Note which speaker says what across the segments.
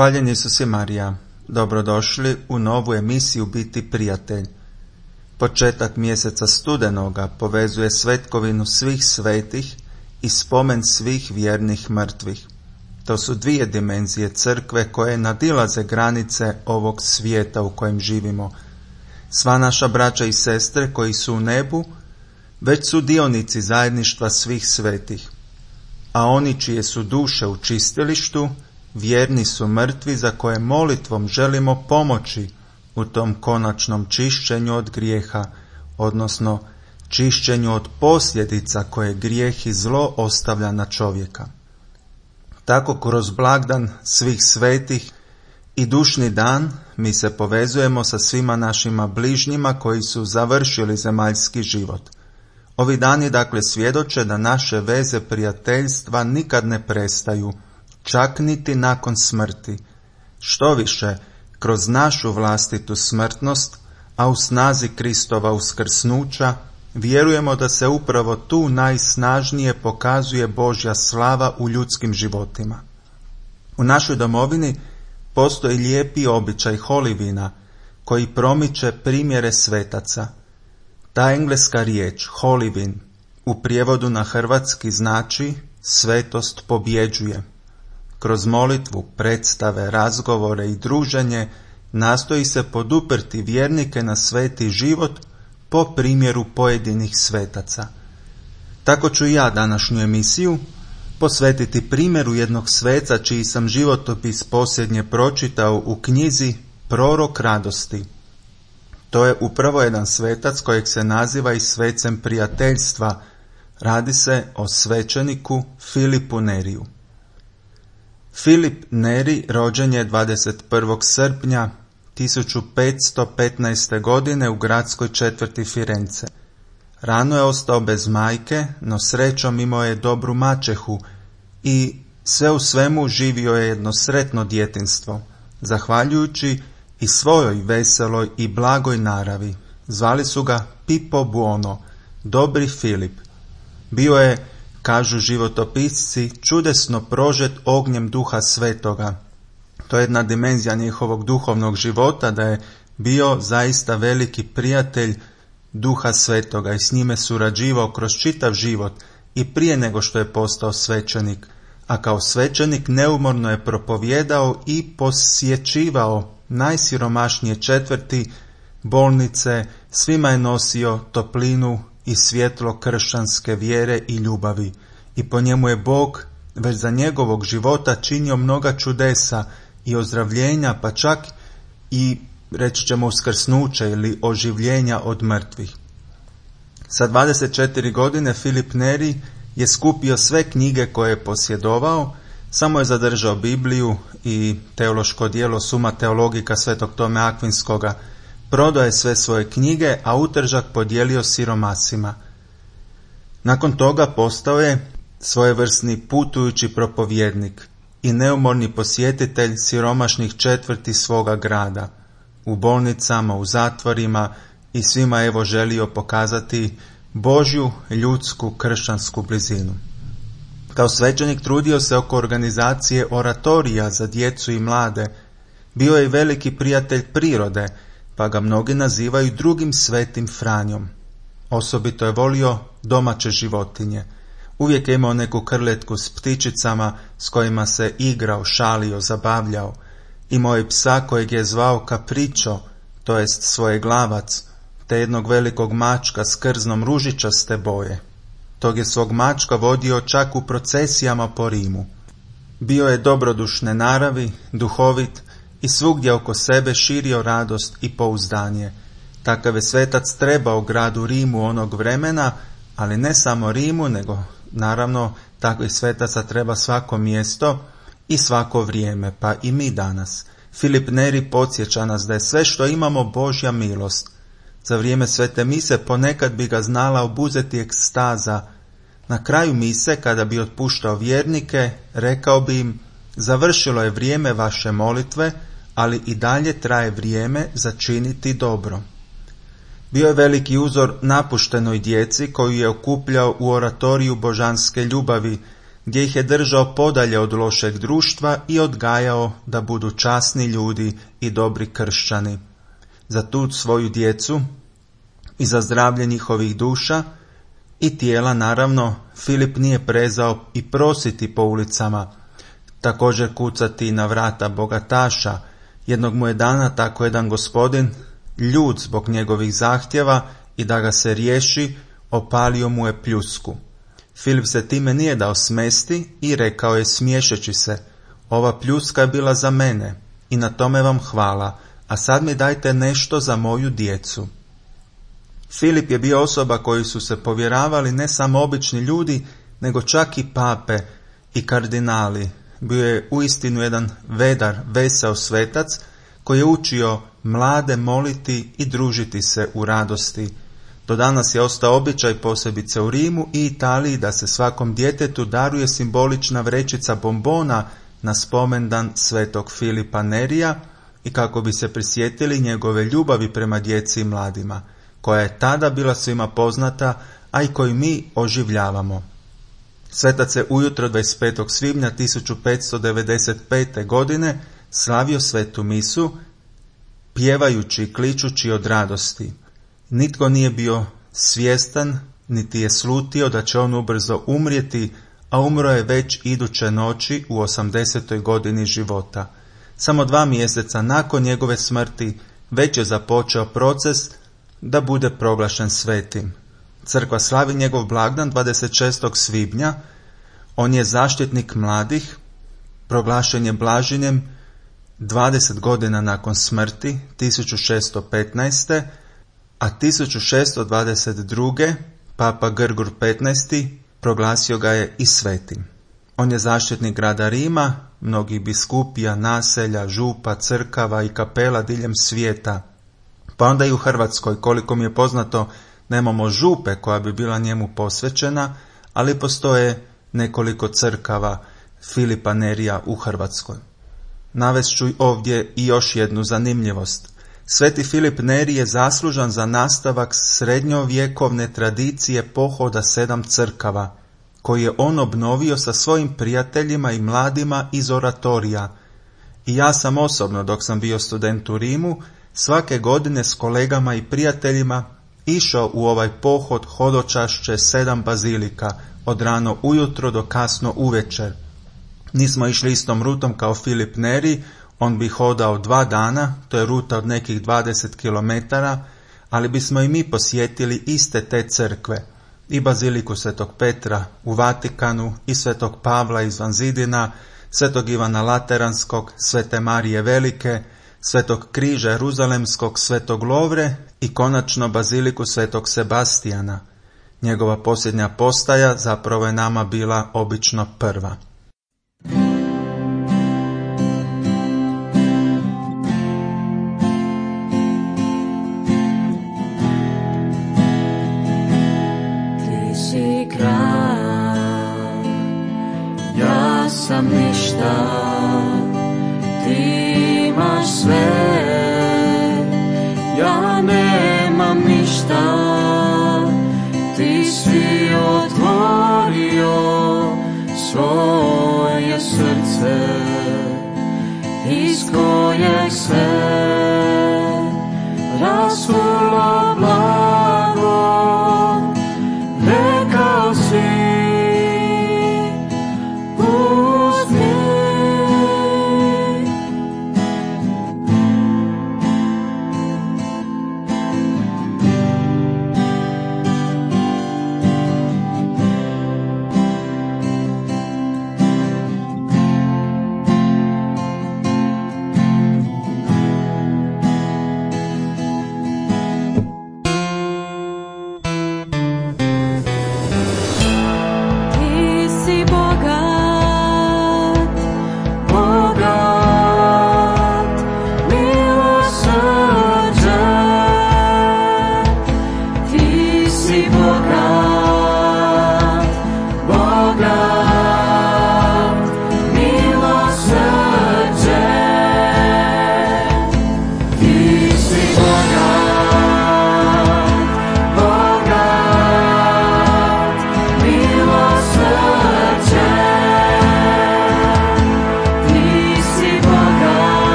Speaker 1: Hvaljen Isus i Marija, dobrodošli u novu emisiju Biti prijatelj. Početak mjeseca studenoga povezuje svetkovinu svih svetih i spomen svih vjernih mrtvih. To su dvije dimenzije crkve koje nadilaze granice ovog svijeta u kojem živimo. Sva naša braća i sestre koji su u nebu već su dionici zajedništva svih svetih, a oni čije su duše u čistilištu vjerni su mrtvi za koje molitvom želimo pomoći u tom konačnom čišćenju od grijeha, odnosno čišćenju od posljedica koje grijeh i zlo ostavlja na čovjeka. Tako kroz blagdan svih svetih i dušni dan mi se povezujemo sa svima našima bližnjima koji su završili zemaljski život. Ovi dani dakle svjedoče da naše veze prijateljstva nikad ne prestaju, čak niti nakon smrti. Štoviše, kroz našu vlastitu smrtnost, a u snazi Kristova uskrsnuća, vjerujemo da se upravo tu najsnažnije pokazuje Božja slava u ljudskim životima. U našoj domovini postoji lijepi običaj holivina koji promiče primjere svetaca. Ta engleska riječ, holivin, u prijevodu na hrvatski znači svetost pobjeđuje. Kroz molitvu, predstave, razgovore i druženje nastoji se poduprti vjernike na sveti život po primjeru pojedinih svetaca. Tako ću i ja današnju emisiju posvetiti primjeru jednog sveca čiji sam životopis posljednje pročitao u knjizi Prorok radosti. To je upravo jedan svetac kojeg se naziva i svecem prijateljstva. Radi se o svećeniku Filipu Neriju. Filip Neri rođen je 21. srpnja 1515. godine u gradskoj četvrti Firence. Rano je ostao bez majke, no srećom imao je dobru maćehu i sve u svemu živio je jedno sretno djetinjstvo, zahvaljujući i svojoj veseloj i blagoj naravi. Zvali su ga Pipo Buono, dobri Filip. Bio je, kažu životopisci, čudesno prožet ognjem Duha Svetoga. To je jedna dimenzija njihovog duhovnog života, da je bio zaista veliki prijatelj Duha Svetoga i s njime surađivao kroz čitav život i prije nego što je postao svećenik, a kao svećenik neumorno je propovijedao i posjećivao najsiromašnije četvrti, bolnice, svima je nosio toplinu i svjetlo kršćanske vjere i ljubavi. I po njemu je Bog već za njegovog života činio mnoga čudesa i ozdravljenja, pa čak i, reći ćemo, uskrsnuće ili oživljenja od mrtvih. Sa 24 godine Filip Neri je skupio sve knjige koje je posjedovao, samo je zadržao Bibliju i teološko djelo Suma Teologika Svetog Tome Akvinskoga. Prodao je sve svoje knjige, a utržak podijelio siromasima. Nakon toga postao je svojevrsni putujući propovjednik i neumorni posjetitelj siromašnih četvrti svoga grada. U bolnicama, u zatvorima i svima evo želio pokazati Božju, ljudsku, kršćansku blizinu. Kao svećenik trudio se oko organizacije oratorija za djecu i mlade. Bio je veliki prijatelj prirode, pa ga mnogi nazivaju drugim svetim Franjom. Osobito je volio domaće životinje. Uvijek je imao neku krletku s ptičicama s kojima se igrao, šalio, zabavljao. Imao je psa kojeg je zvao Capriccio, to jest svojeglavac, te jednog velikog mačka s krznom ružičaste boje. Tog je svog mačka vodio čak u procesijama po Rimu. Bio je dobrodušne naravi, duhovit i svugdje oko sebe širio radost i pouzdanje. Takav je svetac trebao gradu Rimu onog vremena, ali ne samo Rimu, nego naravno takvih svetaca treba svako mjesto i svako vrijeme, pa i mi danas. Filip Neri podsjeća nas da je sve što imamo Božja milost. Za vrijeme svete mise ponekad bi ga znala obuzeti ekstaza. Na kraju mise, kada bi otpuštao vjernike, rekao bi im: završilo je vrijeme vaše molitve, ali i dalje traje vrijeme za činiti dobro. Bio je veliki uzor napuštenoj djeci koju je okupljao u oratoriju božanske ljubavi, gdje ih je držao podalje od lošeg društva i odgajao da budu časni ljudi i dobri kršćani. Za tu svoju djecu i za zdravlje njihovih duša i tijela, naravno, Filip nije prezao i prositi po ulicama, također kucati na vrata bogataša. Jednog mu je dana tako jedan gospodin, ljut zbog njegovih zahtjeva i da ga se riješi, opalio mu je pljusku. Filip se time nije dao smesti i rekao je smiješeći se: ova pljuska je bila za mene i na tome vam hvala, a sad mi dajte nešto za moju djecu. Filip je bio osoba koji su se povjeravali ne samo obični ljudi, nego čak i pape i kardinali. Bio je uistinu jedan vedar, veseo svetac koji je učio mlade moliti i družiti se u radosti. Do danas je ostao običaj, posebice u Rimu i Italiji, da se svakom djetetu daruje simbolična vrećica bombona na spomendan svetog Filipa Nerija i kako bi se prisjetili njegove ljubavi prema djeci i mladima, koja je tada bila svima poznata, a i koju mi oživljavamo. Svetac je ujutro 25. svibnja 1595. godine slavio svetu misu, pjevajući i kličući od radosti. Nitko nije bio svjestan, niti je slutio da će on ubrzo umrijeti, a umro je već iduće noći u 80. godini života. Samo 2 mjeseca nakon njegove smrti već je započeo proces da bude proglašen svetim. Crkva slavi njegov blagdan 26. svibnja. On je zaštitnik mladih, proglašen je blaženjem 20 godina nakon smrti, 1615. a 1622. Papa Grgur XV. proglasio ga je i svetim. On je zaštitnik grada Rima, mnogih biskupija, naselja, župa, crkava i kapela diljem svijeta. Pa onda i u Hrvatskoj, koliko mi je poznato, nemamo župe koja bi bila njemu posvećena, ali postoje nekoliko crkava Filipa Nerija u Hrvatskoj. Navest ću ovdje i još jednu zanimljivost. Sveti Filip Neri je zaslužan za nastavak srednjovjekovne tradicije pohoda 7 crkava, koji je on obnovio sa svojim prijateljima i mladima iz oratorija. I ja sam osobno, dok sam bio student u Rimu, svake godine s kolegama i prijateljima išao u ovaj pohod hodočašće 7 bazilika, od rano ujutro do kasno uvečer. Nismo išli istom rutom kao Filip Neri, on bi hodao 2 dana, to je ruta od nekih 20 km, ali bismo i mi posjetili iste te crkve, i baziliku Svetog Petra u Vatikanu, i Svetog Pavla izvan zidina, Svetog Ivana Lateranskog, Svete Marije Velike, Svetog Križa Jeruzalemskog, Svetog Lovre i konačno baziliku Svetog Sebastijana. Njegova posljednja postaja zapravo je nama bila obično prva.
Speaker 2: Ti si kralj, ja sam ništa, ti imaš sve, ja nemam ništa. Ti si otvorio svoje srce, iz kojeg se rasulo blago. Rekao si, uzmi,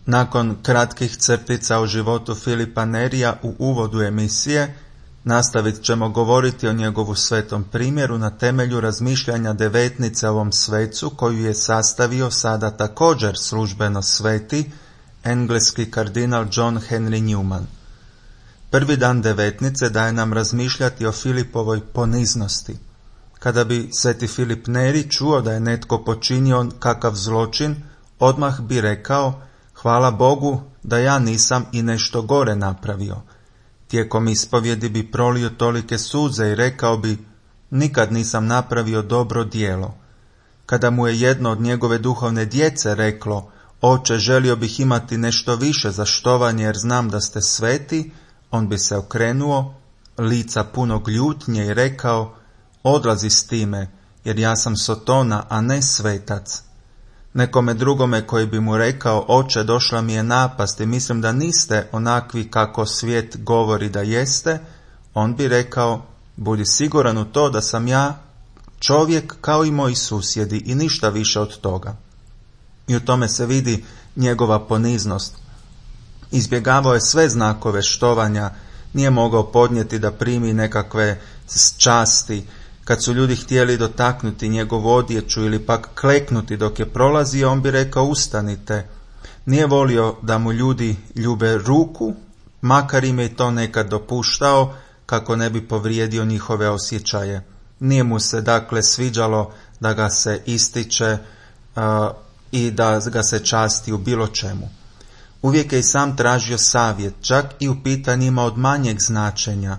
Speaker 1: Nakon kratkih crtica o životu Filipa Nerija u uvodu emisije, nastavit ćemo govoriti o njegovu svetom primjeru na temelju razmišljanja devetnice o ovom svecu koju je sastavio sada također službeno sveti engleski kardinal John Henry Newman. Prvi dan devetnice daje nam razmišljati o Filipovoj poniznosti. Kada bi sveti Filip Neri čuo da je netko počinio kakav zločin, odmah bi rekao: hvala Bogu da ja nisam i nešto gore napravio. Tijekom ispovjedi bi prolio tolike suze i rekao bi: nikad nisam napravio dobro djelo. Kada mu je jedno od njegove duhovne djece reklo: oče, želio bih imati nešto više za štovanje jer znam da ste sveti, on bi se okrenuo, lica punog ljutnje, i rekao: odlazi s time, jer ja sam sotona, a ne svetac. Nekome drugome koji bi mu rekao: oče, došla mi je napast i mislim da niste onakvi kako svijet govori da jeste, on bi rekao: budi siguran u to da sam ja čovjek kao i moji susjedi i ništa više od toga. I u tome se vidi njegova poniznost. Izbjegavao je sve znakove štovanja, nije mogao podnijeti da primi nekakve časti. Kad su ljudi htjeli dotaknuti njegovu odjeću ili pak kleknuti dok je prolazio, on bi rekao: ustanite. Nije volio da mu ljudi ljube ruku, makar im je to nekad dopuštao kako ne bi povrijedio njihove osjećaje. Nije mu se dakle sviđalo da ga se ističe i da ga se časti u bilo čemu. Uvijek je i sam tražio savjet, čak i u pitanjima od manjeg značenja.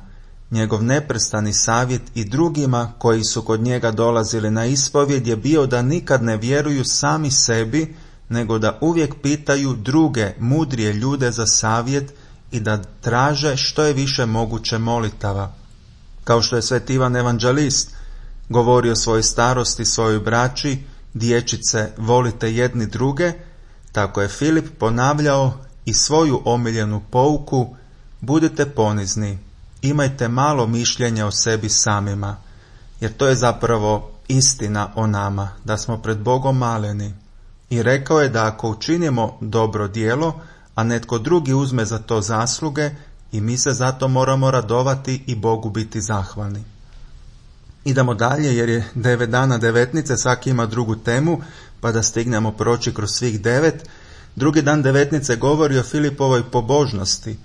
Speaker 1: Njegov neprestani savjet i drugima koji su kod njega dolazili na ispovjed je bio da nikad ne vjeruju sami sebi, nego da uvijek pitaju druge, mudrije ljude za savjet i da traže što je više moguće molitava. Kao što je sveti Ivan Evanđelist govorio svojoj starosti, svojoj braći: dječice, volite jedni druge, tako je Filip ponavljao i svoju omiljenu pouku: budite ponizni, imajte malo mišljenja o sebi samima, jer to je zapravo istina o nama, da smo pred Bogom maleni. I rekao je da ako učinimo dobro djelo, a netko drugi uzme za to zasluge, i mi se zato moramo radovati i Bogu biti zahvalni. Idemo dalje, jer je 9 dana devetnice, svaki ima drugu temu, pa da stignemo proći kroz svih 9. Drugi dan devetnice govori o Filipovoj pobožnosti.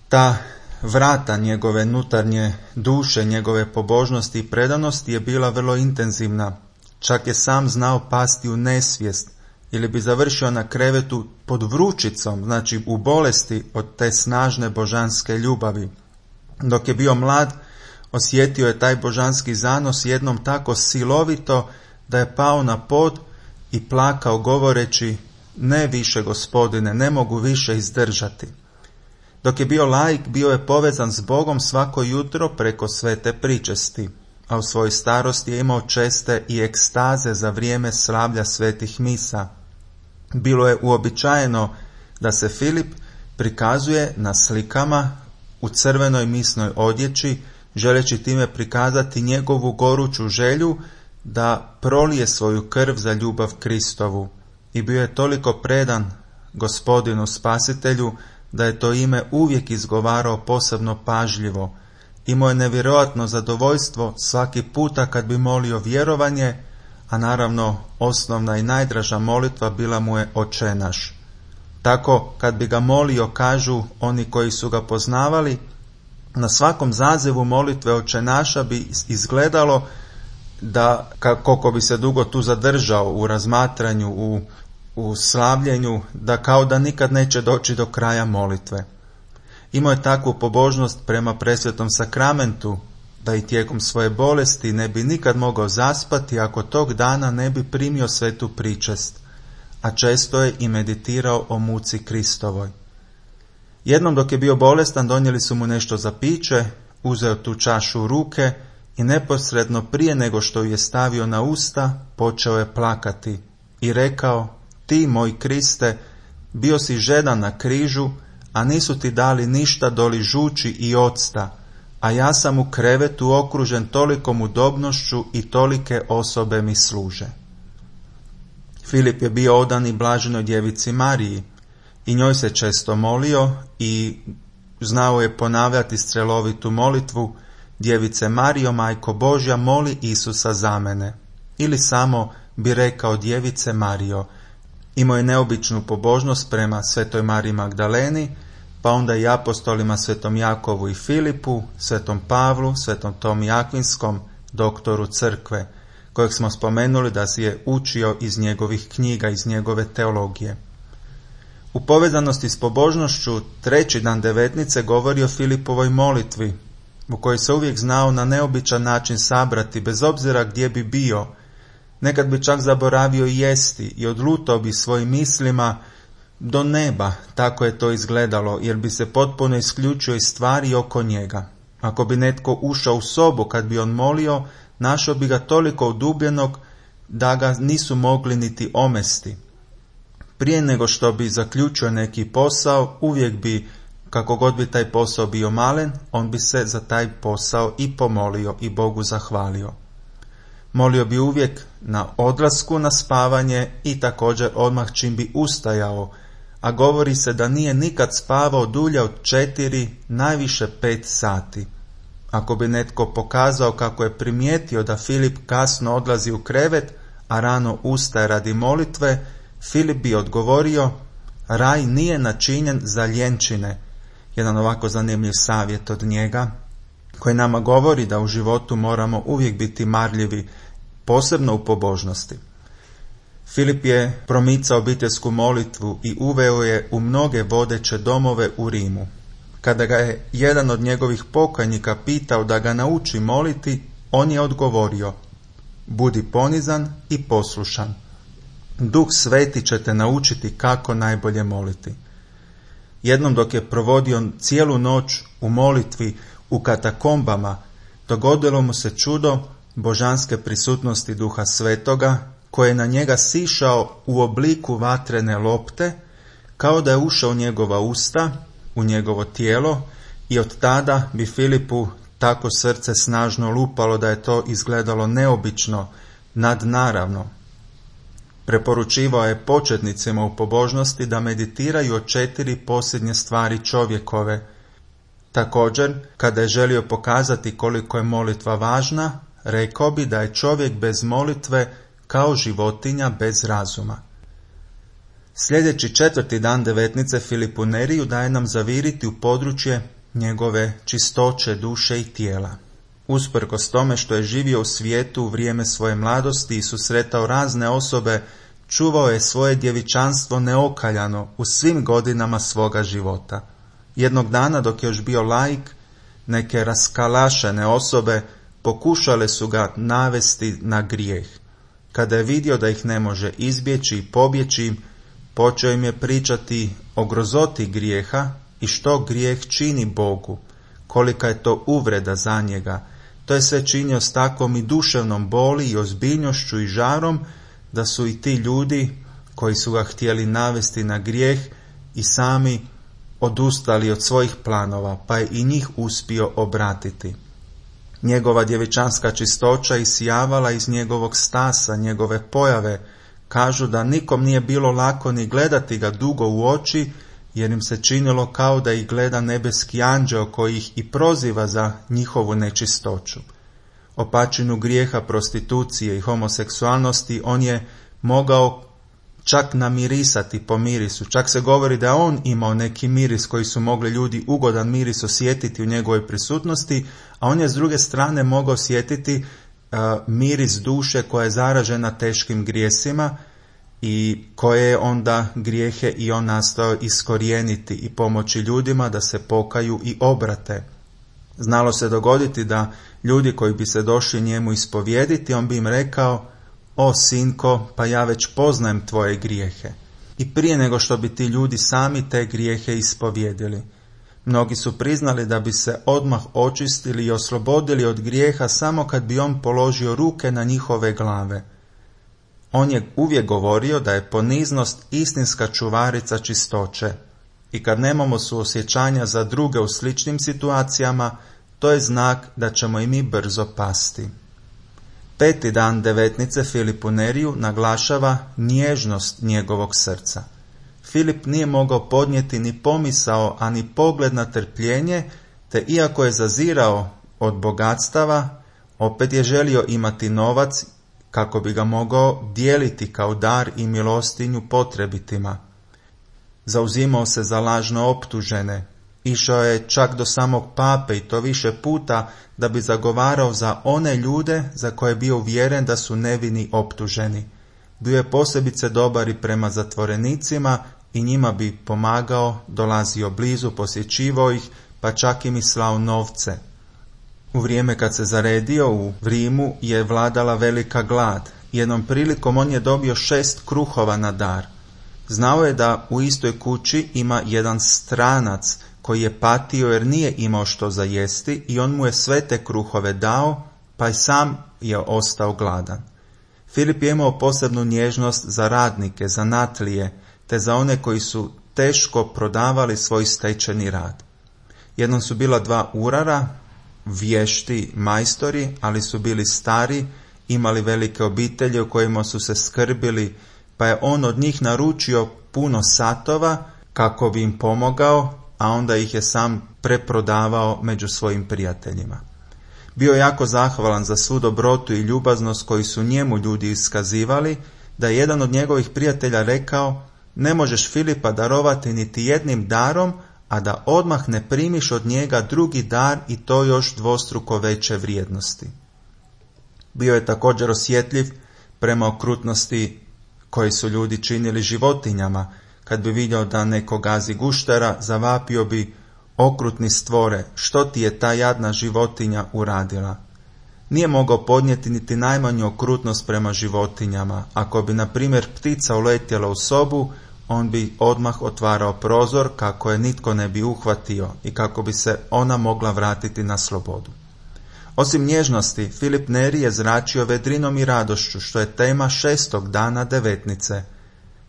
Speaker 1: Ta vrata njegove unutarnje duše, njegove pobožnosti i predanosti je bila vrlo intenzivna. Čak je sam znao pasti u nesvijest ili bi završio na krevetu pod vrućicom, znači u bolesti od te snažne božanske ljubavi. Dok je bio mlad, osjetio je taj božanski zanos jednom tako silovito da je pao na pod i plakao govoreći: ne više, Gospodine, ne mogu više izdržati. Dok je bio laik, bio je povezan s Bogom svako jutro preko svete pričesti, a u svojoj starosti je imao česte i ekstaze za vrijeme slavlja svetih misa. Bilo je uobičajeno da se Filip prikazuje na slikama u crvenoj misnoj odjeći, želeći time prikazati njegovu goruću želju da prolije svoju krv za ljubav Kristovu. I bio je toliko predan Gospodinu Spasitelju da je to ime uvijek izgovarao posebno pažljivo. Imao je nevjerojatno zadovoljstvo svaki puta kad bi molio vjerovanje, a naravno osnovna i najdraža molitva bila mu je Oče naš. Tako kad bi ga molio, kažu oni koji su ga poznavali, na svakom zazivu molitve Oče naša bi izgledalo da koliko bi se dugo tu zadržao u razmatranju, u slavljenju, da kao da nikad neće doći do kraja molitve. Imao je takvu pobožnost prema presvetom sakramentu da i tijekom svoje bolesti ne bi nikad mogao zaspati ako tog dana ne bi primio svetu pričest, a često je i meditirao o muci Kristovoj. Jednom dok je bio bolestan, donijeli su mu nešto za piće, uzeo tu čašu u ruke i neposredno prije nego što ju je stavio na usta, počeo je plakati i rekao: ti, moj Kriste, bio si žedan na križu, a nisu ti dali ništa doli žuči i octa, a ja sam u krevetu okružen tolikom udobnošću i tolike osobe mi služe. Filip je bio odan i blaženoj djevici Mariji. i njoj se često molio i znao je ponavljati strelovitu molitvu: Djevice Marijo, Majko Božja, moli Isusa za mene. Ili samo bi rekao: Djevice Marijo. Imao je neobičnu pobožnost prema Svetoj Mariji Magdaleni, pa onda i apostolima Svetom Jakovu i Filipu, Svetom Pavlu, Svetom Tomi Akvinskom, doktoru crkve, kojeg smo spomenuli da si je učio iz njegovih knjiga, iz njegove teologije. U povezanosti s pobožnošću treći dan devetnice govori o Filipovoj molitvi, u kojoj se uvijek znao na neobičan način sabrati, bez obzira gdje bi bio. Nekad bi čak zaboravio jesti i odlutao bi svojim mislima do neba, tako je to izgledalo, jer bi se potpuno isključio iz stvari oko njega. Ako bi netko ušao u sobu kad bi on molio, našao bi ga toliko udubljenog da ga nisu mogli niti omesti. Prije nego što bi zaključio neki posao, uvijek bi, kako god bi taj posao bio malen, on bi se za taj posao i pomolio i Bogu zahvalio. Molio bi uvijek na odlasku na spavanje i također odmah čim bi ustajao, a govori se da nije nikad spavao dulje od 4, najviše 5 sati. Ako bi netko pokazao kako je primijetio da Filip kasno odlazi u krevet, a rano ustaje radi molitve, Filip bi odgovorio: raj nije načinjen za ljenčine. Jedan ovako zanimljiv savjet od njega, koji nama govori da u životu moramo uvijek biti marljivi, posebno u pobožnosti. Filip je promicao obiteljsku molitvu i uveo je u mnoge vodeće domove u Rimu. Kada ga je jedan od njegovih pokajnika pitao da ga nauči moliti, on je odgovorio: budi ponizan i poslušan. Duh Sveti će te naučiti kako najbolje moliti. Jednom dok je provodio cijelu noć u molitvi u katakombama, dogodilo mu se čudo božanske prisutnosti Duha Svetoga, koji je na njega sišao u obliku vatrene lopte, kao da je ušao u njegova usta, u njegovo tijelo, i od tada bi Filipu tako srce snažno lupalo da je to izgledalo neobično, nadnaravno. Preporučivao je početnicima u pobožnosti da meditiraju o 4 posljednje stvari čovjekove. Također, kada je želio pokazati koliko je molitva važna, rekao bi da je čovjek bez molitve kao životinja bez razuma. Sljedeći 4. dan devetnice Filipu Neriju daje nam zaviriti u područje njegove čistoće duše i tijela. Usprkos tome što je živio u svijetu u vrijeme svoje mladosti i susretao razne osobe, čuvao je svoje djevičanstvo neokaljano u svim godinama svoga života. Jednog dana, dok je još bio laik, neke raskalašene osobe pokušale su ga navesti na grijeh. Kada je vidio da ih ne može izbjeći i pobjeći, počeo im je pričati o grozoti grijeha i što grijeh čini Bogu, kolika je to uvreda za njega. To je sve činio s takvom i duševnom boli i ozbiljnošću i žarom, da su i ti ljudi koji su ga htjeli navesti na grijeh i sami odustali od svojih planova, pa je i njih uspio obratiti. Njegova djevičanska čistoća isijavala iz njegovog stasa, njegove pojave. Kažu da nikom nije bilo lako ni gledati ga dugo u oči, jer im se činilo kao da ih gleda nebeski anđeo koji ih i proziva za njihovu nečistoću. O pačinu grijeha, prostitucije i homoseksualnosti on je mogao čak namirisati po mirisu. Čak se govori da on imao neki miris koji su mogli ljudi ugodan miris osjetiti u njegovoj prisutnosti, a on je s druge strane mogao osjetiti miris duše koja je zaražena teškim grijesima i koje je onda grijehe i on nastao iskorijeniti i pomoći ljudima da se pokaju i obrate. Znalo se dogoditi da ljudi koji bi se došli njemu ispovijediti, on bi im rekao: o sinko, pa ja već poznajem tvoje grijehe. I prije nego što bi ti ljudi sami te grijehe ispovijedili. Mnogi su priznali da bi se odmah očistili i oslobodili od grijeha samo kad bi on položio ruke na njihove glave. On je uvijek govorio da je poniznost istinska čuvarica čistoće i kad nemamo suosjećanja za druge u sličnim situacijama, to je znak da ćemo i mi brzo pasti. 5. dan devetnice Filipu Neriju naglašava nježnost njegovog srca. Filip nije mogao podnijeti ni pomisao, a ni pogled na trpljenje, te iako je zazirao od bogatstava, opet je želio imati novac kako bi ga mogao dijeliti kao dar i milostinju potrebitima. Zauzimao se za lažno optužene, išao je čak do samog pape i to više puta da bi zagovarao za one ljude za koje je bio uvjeren da su nevini optuženi. Bio je posebice dobar i prema zatvorenicima i njima bi pomagao, dolazio blizu, posjećivao ih, pa čak im i slao novce. U vrijeme kad se zaredio u Rimu je vladala velika glad. Jednom prilikom on je dobio 6 kruhova na dar. Znao je da u istoj kući ima jedan stranac koji je patio jer nije imao što za jesti i on mu je sve te kruhove dao, pa i sam je ostao gladan. Filip je imao posebnu nježnost za radnike, zanatlije, te za one koji su teško prodavali svoj stečeni rad. Jednom su bila 2 urara, vješti majstori, ali su bili stari, imali velike obitelji u kojima su se skrbili, pa je on od njih naručio puno satova kako bi im pomogao, a onda ih je sam preprodavao među svojim prijateljima. Bio je jako zahvalan za svu dobrotu i ljubaznost koju su njemu ljudi iskazivali, da je jedan od njegovih prijatelja rekao: ne možeš Filipa darovati niti jednim darom, a da odmah ne primiš od njega drugi dar i to još dvostruko veće vrijednosti. Bio je također osjetljiv prema okrutnosti koji su ljudi činili životinjama. Kad bi vidio da neko gazi guštera, zavapio bi: okrutni stvore, što ti je ta jadna životinja uradila? Nije mogao podnijeti niti najmanju okrutnost prema životinjama. Ako bi, na primjer, ptica uletjela u sobu, on bi odmah otvarao prozor kako je nitko ne bi uhvatio i kako bi se ona mogla vratiti na slobodu. Osim nježnosti, Filip Neri je zračio vedrinom i radošću, što je tema 6. dana devetnice.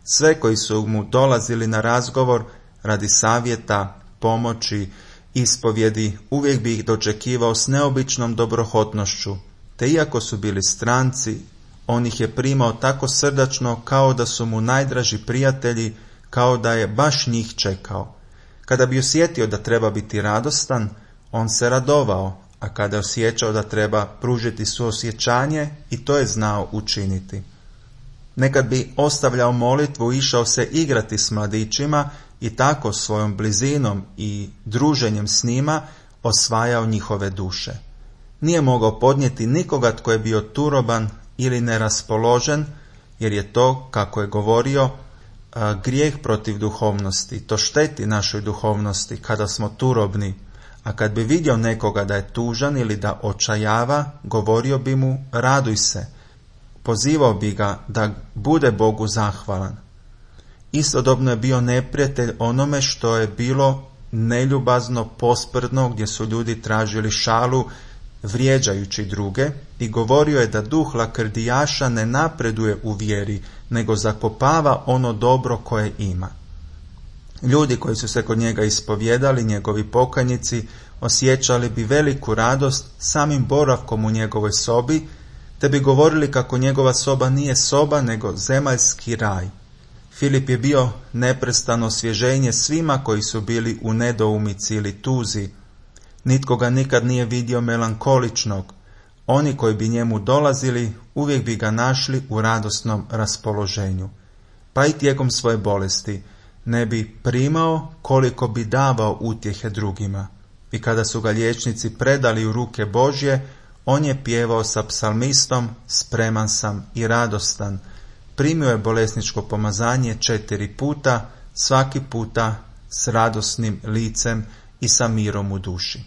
Speaker 1: Sve koji su mu dolazili na razgovor radi savjeta, pomoći, ispovjedi, uvijek bi ih dočekivao s neobičnom dobrohotnošću, te iako su bili stranci, on ih je primao tako srdačno kao da su mu najdraži prijatelji, kao da je baš njih čekao. Kada bi osjetio da treba biti radostan, on se radovao, a kada je osjećao da treba pružiti suosjećanje, i to je znao učiniti. Nekad bi ostavljao molitvu i išao se igrati s mladićima i tako svojom blizinom i druženjem s njima osvajao njihove duše. Nije mogao podnijeti nikoga tko je bio turoban ili neraspoložen, jer je to, kako je govorio, grijeh protiv duhovnosti. To šteti našoj duhovnosti kada smo turobni, a kad bi vidio nekoga da je tužan ili da očajava, govorio bi mu: raduj se. Pozivao bi ga da bude Bogu zahvalan. Istodobno je bio neprijatelj onome što je bilo neljubazno, posprdno, gdje su ljudi tražili šalu, vrijeđajući druge, i govorio je da duh lakrdijaša ne napreduje u vjeri, nego zakopava ono dobro koje ima. Ljudi koji su se kod njega ispovjedali, njegovi pokajnici, osjećali bi veliku radost samim boravkom u njegovoj sobi, te bi govorili kako njegova soba nije soba, nego zemaljski raj. Filip je bio neprestano osvježenje svima koji su bili u nedoumici ili tuzi. Nitko ga nikad nije vidio melankoličnog. Oni koji bi njemu dolazili uvijek bi ga našli u radosnom raspoloženju. Pa i tijekom svoje bolesti ne bi primao koliko bi davao utjehe drugima. I kada su ga liječnici predali u ruke Božje, on je pjevao sa psalmistom: spreman sam i radostan. Primio je bolesničko pomazanje 4 puta, svaki puta s radosnim licem i sa mirom u duši.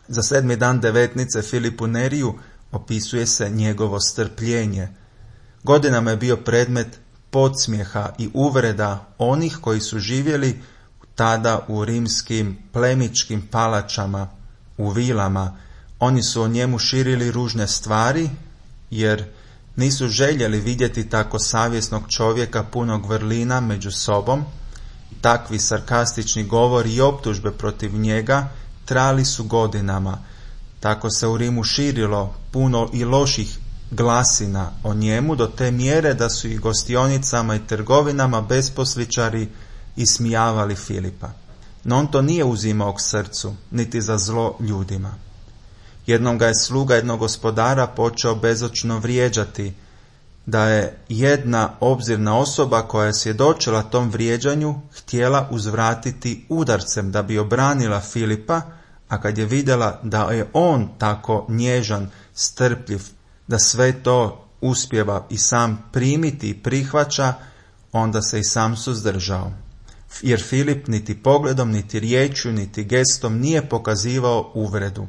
Speaker 1: Za 7. dan devetnice Filipu Neriju opisuje se njegovo strpljenje. Godinama je bio predmet podsmjeha i uvreda onih koji su živjeli tada u rimskim plemičkim palačama, u vilama. Oni su o njemu širili ružne stvari, jer nisu željeli vidjeti tako savjesnog čovjeka punog vrlina među sobom. Takvi sarkastični govori i optužbe protiv njega trajali su godinama. Tako se u Rimu širilo puno i loših glasina o njemu do te mjere da su i gostionicama i trgovinama besposličari ismijavali Filipa. No on to nije uzimao k srcu, niti za zlo ljudima. Jednom ga je sluga jednog gospodara počeo bezočno vrijeđati, da je jedna obzirna osoba koja je svjedočila tom vrijeđanju htjela uzvratiti udarcem da bi obranila Filipa, a kad je vidjela da je on tako nježan, strpljiv, da sve to uspijeva i sam primiti i prihvaća, onda se i sam suzdržao. Jer Filip niti pogledom, niti riječju, niti gestom nije pokazivao uvredu.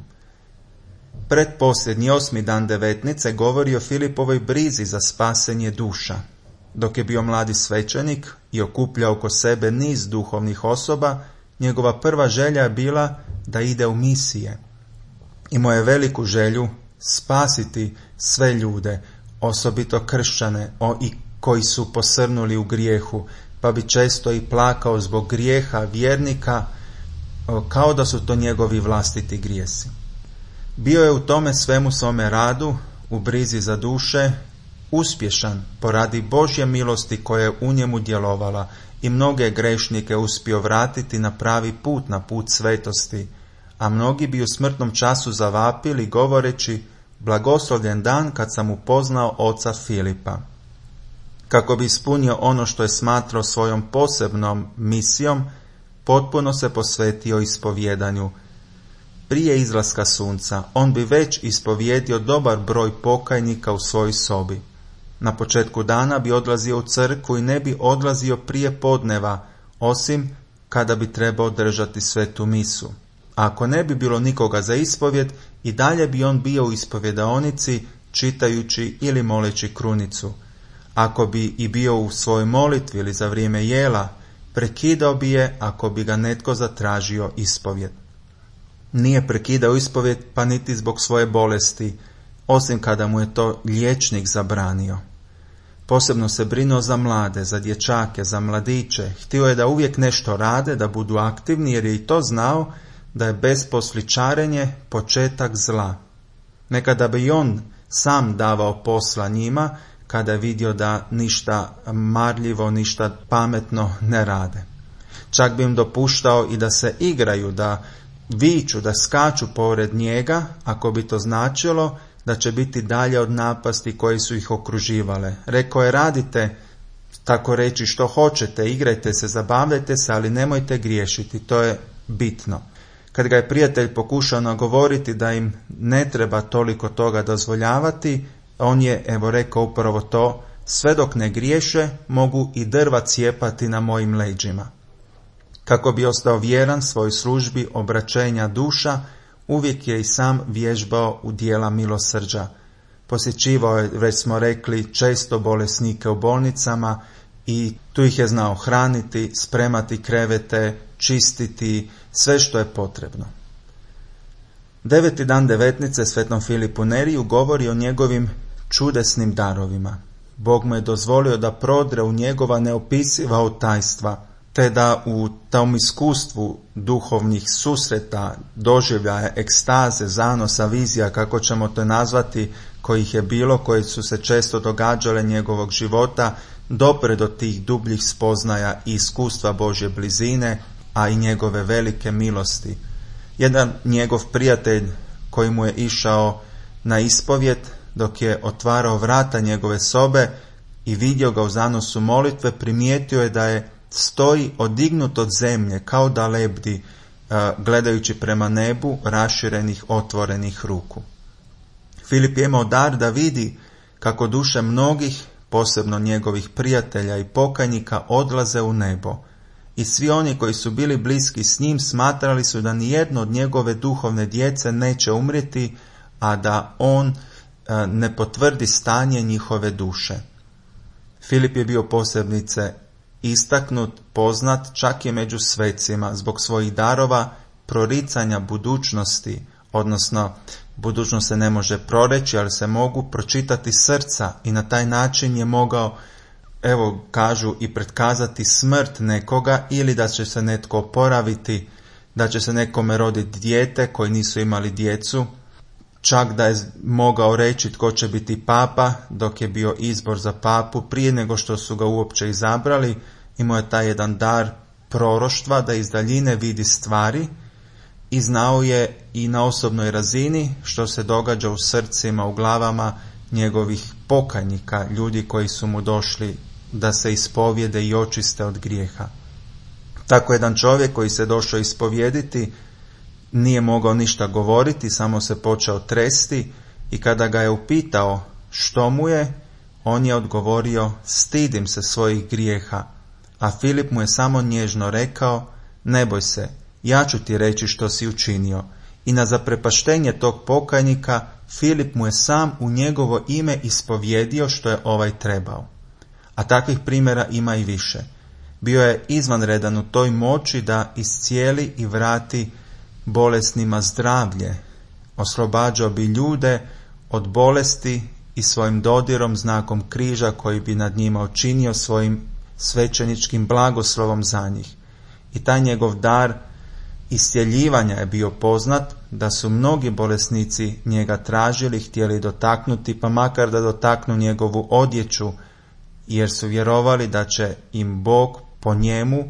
Speaker 1: Pretposljednji 8. dan devetnice govori o Filipovoj brizi za spasenje duša. Dok je bio mladi svećenik i okupljao oko sebe niz duhovnih osoba, njegova prva želja je bila da ide u misije. Imao je veliku želju spasiti sve ljude, osobito kršćane i koji su posrnuli u grijehu, pa bi često i plakao zbog grijeha vjernika, kao da su to njegovi vlastiti grijesi. Bio je u tome svemu svome radu, u brizi za duše, uspješan poradi Božje milosti koja je u njemu djelovala i mnoge grešnike uspio vratiti na pravi put, na put svetosti, a mnogi bi u smrtnom času zavapili govoreći: blagoslovljen dan kad sam upoznao oca Filipa. Kako bi ispunio ono što je smatrao svojom posebnom misijom, potpuno se posvetio ispovjedanju. Prije izlaska sunca on bi već ispovjedio dobar broj pokajnika u svojoj sobi. Na početku dana bi odlazio u crkvu i ne bi odlazio prije podneva, osim kada bi trebao držati svetu misu. A ako ne bi bilo nikoga za ispovjed, i dalje bi on bio u ispovjedaonici čitajući ili moleći krunicu. Ako bi i bio u svojoj molitvi ili za vrijeme jela, prekidao bi je ako bi ga netko zatražio ispovjed. Nije prekidao ispovjed pa niti zbog svoje bolesti, osim kada mu je to liječnik zabranio. Posebno se brinuo za mlade, za dječake, za mladiće. Htio je da uvijek nešto rade, da budu aktivni, jer je i to znao da je besposličarenje početak zla. Nekada bi i on sam davao posla njima, kada je vidio da ništa marljivo, ništa pametno ne rade. Čak bi im dopuštao i da se igraju, da viču, da skaču pored njega, ako bi to značilo da će biti dalje od napasti koje su ih okruživale. Rekao je: radite, tako reći, što hoćete, igrajte se, zabavljajte se, ali nemojte griješiti, to je bitno. Kad ga je prijatelj pokušao nagovoriti da im ne treba toliko toga dozvoljavati, on je rekao upravo to: sve dok ne griješe, mogu i drva cijepati na mojim leđima. Kako bi ostao vjeran svojoj službi obraćenja duša, uvijek je i sam vježbao u dijela milosrđa. Posjećivao je, već smo rekli, često bolesnike u bolnicama i tu ih je znao hraniti, spremati krevete, čistiti, sve što je potrebno. 9. dan devetnice svetom Filipu Neriju govori o njegovim čudesnim darovima. Bog mu je dozvolio da prodre u njegova neopisiva tajstva, te da u tom iskustvu duhovnih susreta, doživljaja, ekstaze, zanosa, vizija, kako ćemo to nazvati, kojih je bilo, koje su se često događale njegovog života, dopre do tih dubljih spoznaja i iskustva Božje blizine, a i njegove velike milosti. Jedan njegov prijatelj koji mu je išao na ispovjed, dok je otvarao vrata njegove sobe i vidio ga u zanosu molitve, primijetio je da je stoji odignut od zemlje, kao da lebdi, gledajući prema nebu raširenih, otvorenih ruku. Filip je imao dar da vidi kako duše mnogih, posebno njegovih prijatelja i pokajnika, odlaze u nebo. I svi oni koji su bili bliski s njim smatrali su da nijedno od njegove duhovne djece neće umrijeti, a da on ne potvrdi stanje njihove duše. Filip je bio posebice istaknut, poznat čak i među svecima zbog svojih darova proricanja budućnosti, odnosno budućnost se ne može proreći, ali se mogu pročitati srca, i na taj način je mogao, kažu, i pretkazati smrt nekoga, ili da će se netko oporaviti, da će se nekome roditi dijete koji nisu imali djecu, čak da je mogao reći tko će biti papa dok je bio izbor za papu, prije nego što su ga uopće izabrali. Imao je taj jedan dar proroštva da iz daljine vidi stvari i znao je i na osobnoj razini što se događa u srcima, u glavama njegovih pokajnika, ljudi koji su mu došli da se ispovijede i očiste od grijeha. Tako jedan čovjek koji se došao ispovijediti nije mogao ništa govoriti, samo se počeo tresti i kada ga je upitao što mu je, on je odgovorio stidim se svojih grijeha, a Filip mu je samo nježno rekao ne boj se, ja ću ti reći što si učinio. I na zaprepaštenje tog pokajnika Filip mu je sam u njegovo ime ispovjedio što je ovaj trebao. A takvih primjera ima i više. Bio je izvanredan u toj moći da iscijeli i vrati bolesnima zdravlje. Oslobađao bi ljude od bolesti i svojim dodirom, znakom križa koji bi nad njima učinio svojim svećeničkim blagoslovom za njih. I taj njegov dar iscjeljivanja je bio poznat, da su mnogi bolesnici njega tražili, htjeli dotaknuti, pa makar da dotaknu njegovu odjeću, jer su vjerovali da će im Bog po njemu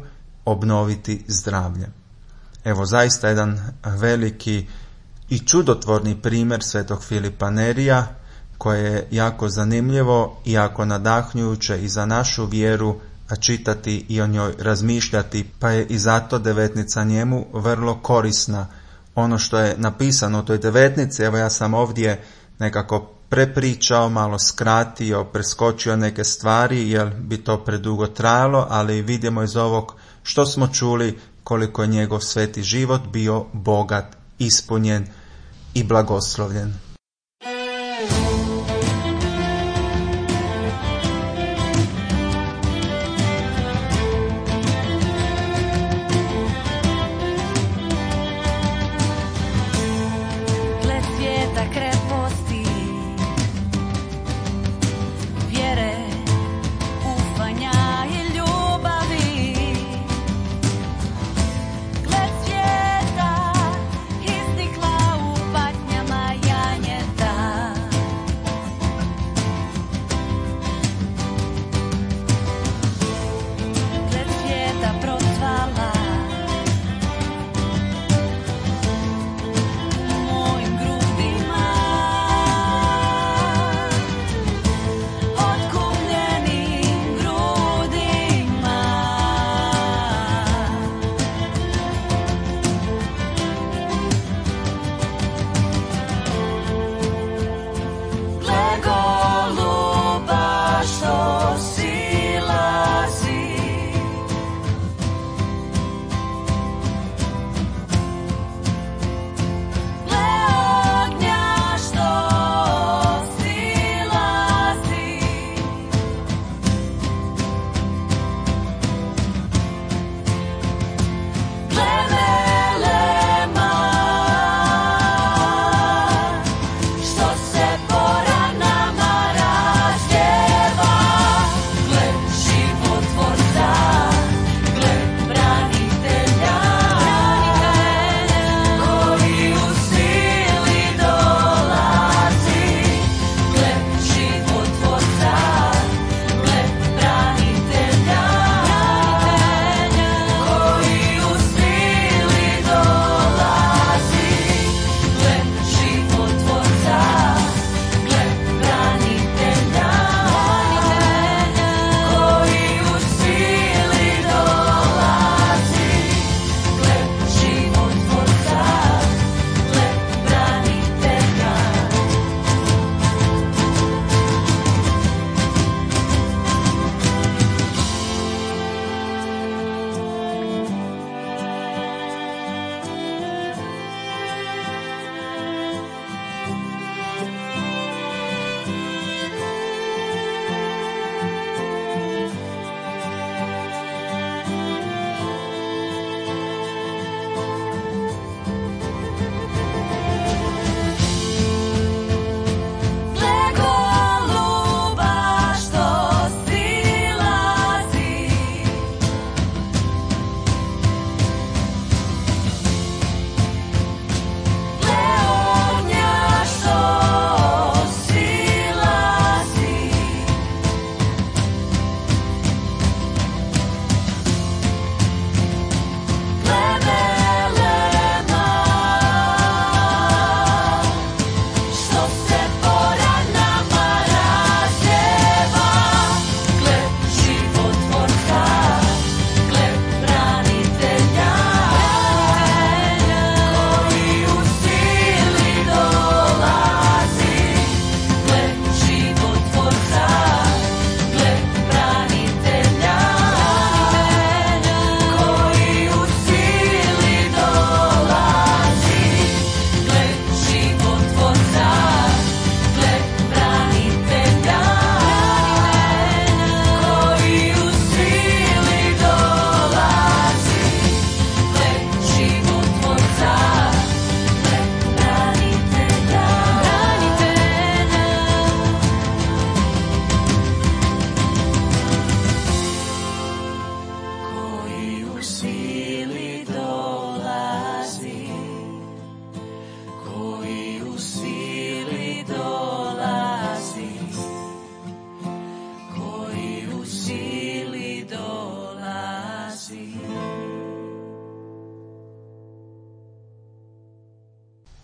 Speaker 1: obnoviti zdravlje. Evo zaista jedan veliki i čudotvorni primjer svetog Filipa Nerija, koje je jako zanimljivo i jako nadahnjujuće i za našu vjeru, a čitati i o njoj razmišljati, pa je i zato devetnica njemu vrlo korisna. Ono što je napisano u toj devetnici, evo ja sam ovdje nekako prepričao, malo skratio, preskočio neke stvari jer bi to predugo trajalo, ali vidimo iz ovog što smo čuli koliko je njegov sveti život bio bogat, ispunjen i blagoslovljen.
Speaker 3: Gled svijeta iznikla u patnjama, ja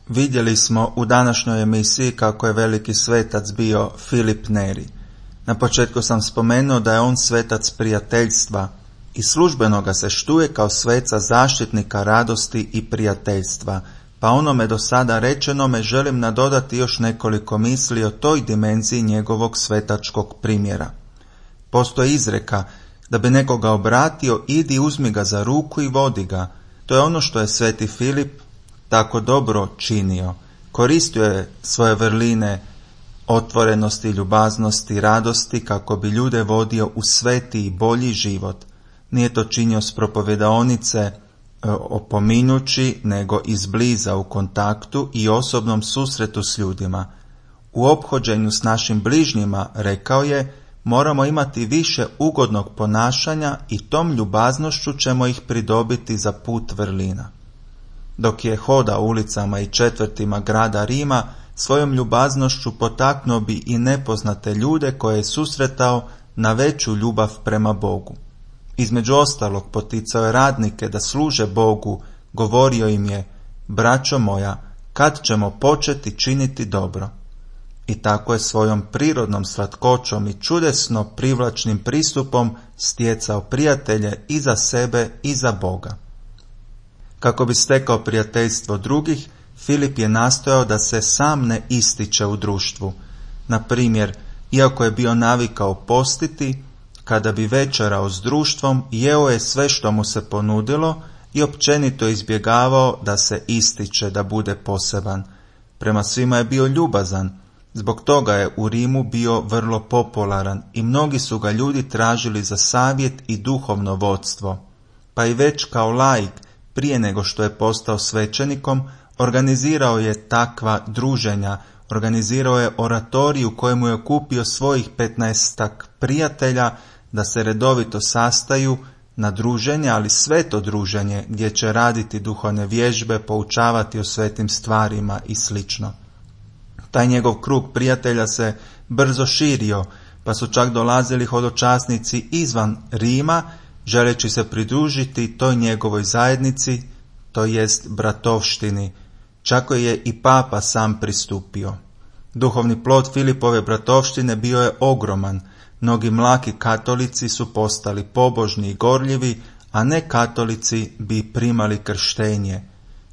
Speaker 1: Vidjeli smo u današnjoj emisiji kako je veliki svetac bio Filip Neri. Na početku sam spomenuo da je on svetac prijateljstva i službeno ga se štuje kao sveca zaštitnika radosti i prijateljstva, pa onome do sada rečenome želim nadodati još nekoliko misli o toj dimenziji njegovog svetačkog primjera. Postoji izreka da bi nekoga obratio, idi uzmi ga za ruku i vodi ga. To je ono što je sveti Filip tako dobro činio. Koristio je svoje vrline otvorenosti, ljubaznosti, radosti kako bi ljude vodio u sveti i bolji život. Nije to činio s propovjedaonice opominjući, nego izbliza u kontaktu i osobnom susretu s ljudima. U ophođenju s našim bližnjima, rekao je, moramo imati više ugodnog ponašanja i tom ljubaznošću ćemo ih pridobiti za put vrlina. Dok je hodao ulicama i četvrtima grada Rima, svojom ljubaznošću potaknuo bi i nepoznate ljude koje je susretao na veću ljubav prema Bogu. Između ostalog poticao je radnike da služe Bogu, govorio im je, braćo moja, kad ćemo početi činiti dobro? I tako je svojom prirodnom slatkoćom i čudesno privlačnim pristupom stjecao prijatelje i za sebe i za Boga. Kako bi stekao prijateljstvo drugih, Filip je nastojao da se sam ne ističe u društvu. Na primjer, iako je bio navikao postiti, kada bi večerao s društvom, jeo je sve što mu se ponudilo i općenito izbjegavao da se ističe, da bude poseban. Prema svima je bio ljubazan, zbog toga je u Rimu bio vrlo popularan i mnogi su ga ljudi tražili za savjet i duhovno vodstvo. Pa i već kao laik, prije nego što je postao svećenikom, organizirao je takva druženja, organizirao je oratorij u kojemu je okupio svojih 15 prijatelja da se redovito sastaju na druženje, ali sveto druženje gdje će raditi duhovne vježbe, poučavati o svetim stvarima i sl. Taj njegov krug prijatelja se brzo širio, pa su čak dolazili hodočasnici izvan Rima, želeći se pridružiti toj njegovoj zajednici, to jest bratovštini. Čak je i papa sam pristupio. Duhovni plod Filipove bratovštine bio je ogroman. Mnogi mlaki katolici su postali pobožni i gorljivi, a ne katolici bi primali krštenje.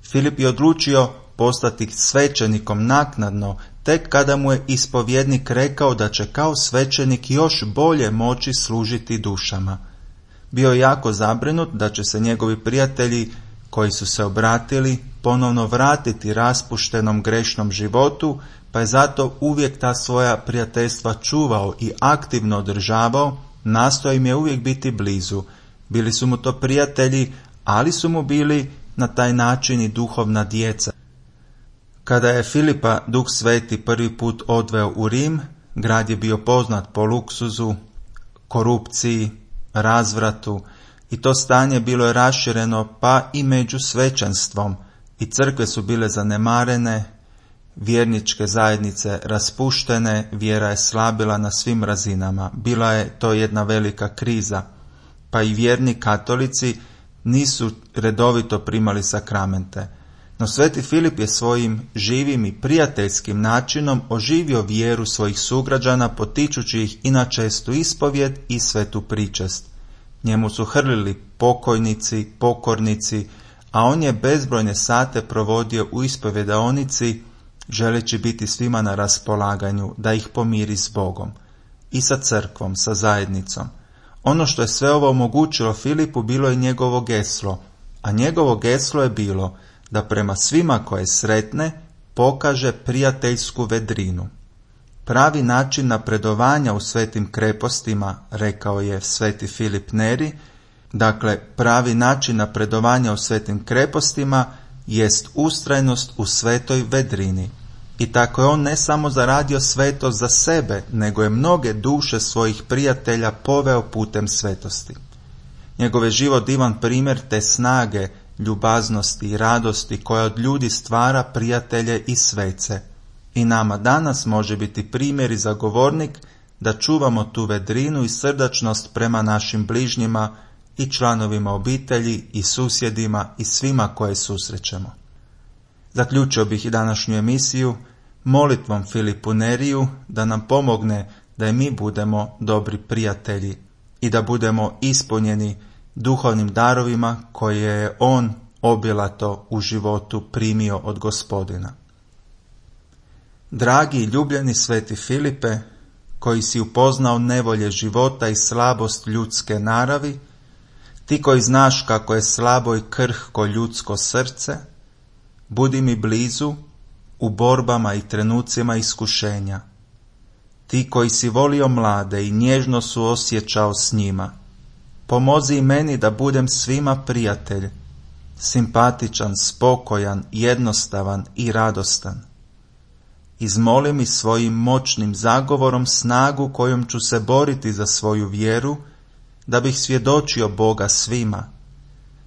Speaker 1: Filip je odlučio postati svećenikom naknadno, tek kada mu je ispovjednik rekao da će kao svećenik još bolje moći služiti dušama. Bio je jako zabrinut da će se njegovi prijatelji koji su se obratili ponovno vratiti raspuštenom grešnom životu, pa je zato uvijek ta svoja prijateljstva čuvao i aktivno održavao, nastojao im je uvijek biti blizu. Bili su mu to prijatelji, ali su mu bili na taj način i duhovna djeca. Kada je Filipa Duh Sveti prvi put odveo u Rim, grad je bio poznat po luksuzu, korupciji, razvratu i to stanje bilo je rašireno pa i među svećenstvom i crkve su bile zanemarene, vjerničke zajednice raspuštene, vjera je slabila na svim razinama. Bila je to jedna velika kriza, pa i vjerni katolici nisu redovito primali sakramente. No sveti Filip je svojim živim i prijateljskim načinom oživio vjeru svojih sugrađana, potičući ih i na čestu ispovjed i svetu pričest. Njemu su hrlili pokojnici, pokornici, a on je bezbrojne sate provodio u ispovjedaonici, želeći biti svima na raspolaganju, da ih pomiri s Bogom i sa crkvom, sa zajednicom. Ono što je sve ovo omogućilo Filipu bilo je njegovo geslo, a njegovo geslo je bilo da prema svima koje sretne pokaže prijateljsku vedrinu. Pravi način napredovanja u svetim krepostima, rekao je sveti Filip Neri, dakle pravi način napredovanja u svetim krepostima jest ustrajnost u svetoj vedrini. I tako je on ne samo zaradio svetost za sebe, nego je mnoge duše svojih prijatelja poveo putem svetosti. Njegov je život divan primjer te snage, ljubaznosti i radosti koja od ljudi stvara prijatelje i svece. I nama danas može biti primjer i zagovornik da čuvamo tu vedrinu i srdačnost prema našim bližnjima i članovima obitelji i susjedima i svima koje susrećemo. Zaključio bih i današnju emisiju molitvom Filipu Neriju da nam pomogne da i mi budemo dobri prijatelji i da budemo ispunjeni duhovnim darovima koje je on obilato u životu primio od Gospodina. Dragi i ljubljeni sveti Filipe, koji si upoznao nevolje života i slabost ljudske naravi, ti koji znaš kako je slabo i krhko ljudsko srce, budi mi blizu u borbama i trenucima iskušenja. Ti koji si volio mlade i nježno suosjećao s njima, pomozi i meni da budem svima prijatelj, simpatičan, spokojan, jednostavan i radostan. Izmoli mi svojim moćnim zagovorom snagu kojom ću se boriti za svoju vjeru, da bih svjedočio Boga svima.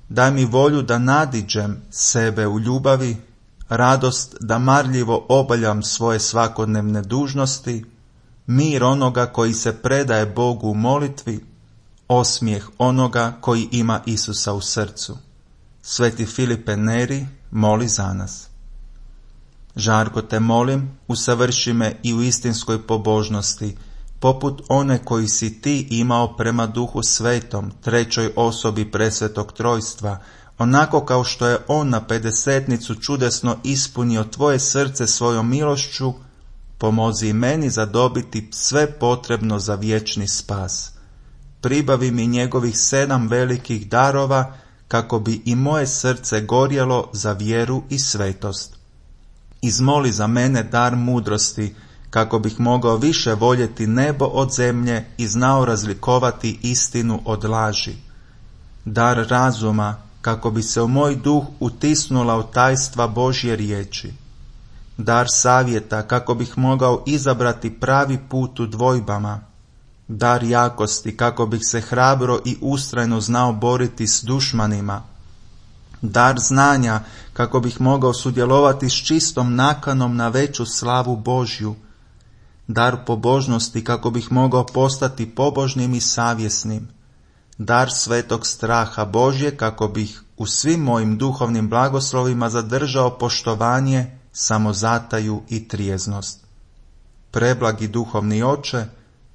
Speaker 1: Daj mi volju da nadiđem sebe u ljubavi, radost da marljivo obavljam svoje svakodnevne dužnosti, mir onoga koji se predaje Bogu u molitvi, osmijeh onoga koji ima Isusa u srcu. Sveti Filipe Neri, moli za nas. Žarko te molim, usavrši me i u istinskoj pobožnosti, poput one koji si ti imao prema Duhu Svetom, trećoj osobi presvetog trojstva, onako kao što je on na pedesetnicu čudesno ispunio tvoje srce svojom milošću, pomozi i meni zadobiti sve potrebno za vječni spas. Pribavi mi njegovih 7 velikih darova, kako bi i moje srce gorjelo za vjeru i svetost. Izmoli za mene dar mudrosti, kako bih mogao više voljeti nebo od zemlje i znao razlikovati istinu od laži. Dar razuma, kako bi se u moj duh utisnula u tajstva Božje riječi. Dar savjeta, kako bih mogao izabrati pravi put u dvojbama. Dar jakosti, kako bih se hrabro i ustrajno znao boriti s dušmanima. Dar znanja, kako bih mogao sudjelovati s čistom nakanom na veću slavu Božju. Dar pobožnosti, kako bih mogao postati pobožnim i savjesnim. Dar svetog straha Božje, kako bih u svim mojim duhovnim blagoslovima zadržao poštovanje, samozataju i trijeznost. Preblagi duhovni oče,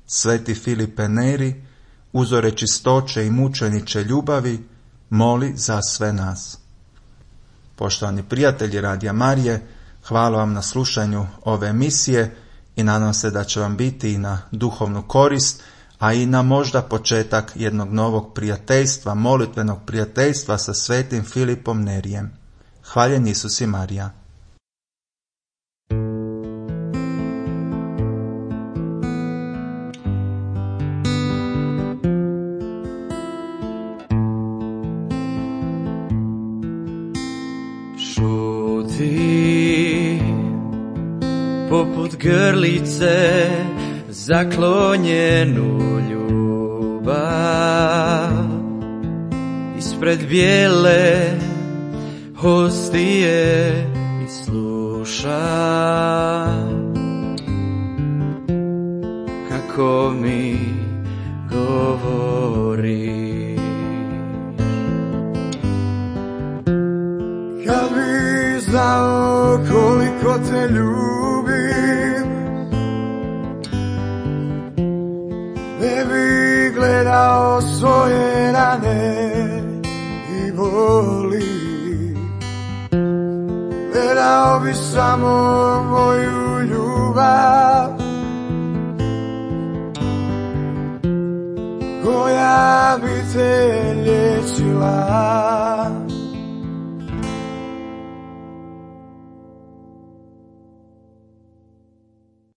Speaker 1: sveti Filipe Neri, uzore čistoće i mučeniče ljubavi, moli za sve nas. Poštovani prijatelji Radija Marije, hvala vam na slušanju ove emisije i nadam se da će vam biti i na duhovnu korist, a i na možda početak jednog novog prijateljstva, molitvenog prijateljstva sa svetim Filipom Nerijem. Hvaljen Isus i Marija.
Speaker 2: Šuti poput grlice zaklonjenu ljubav ispred bijele hostije i sluša kako mi govori.
Speaker 3: Kad bi znao koliko te ljubim, ne bi gledao svoje rane i boli. Gledao bi samo moju ljubav, koja bi te liječila.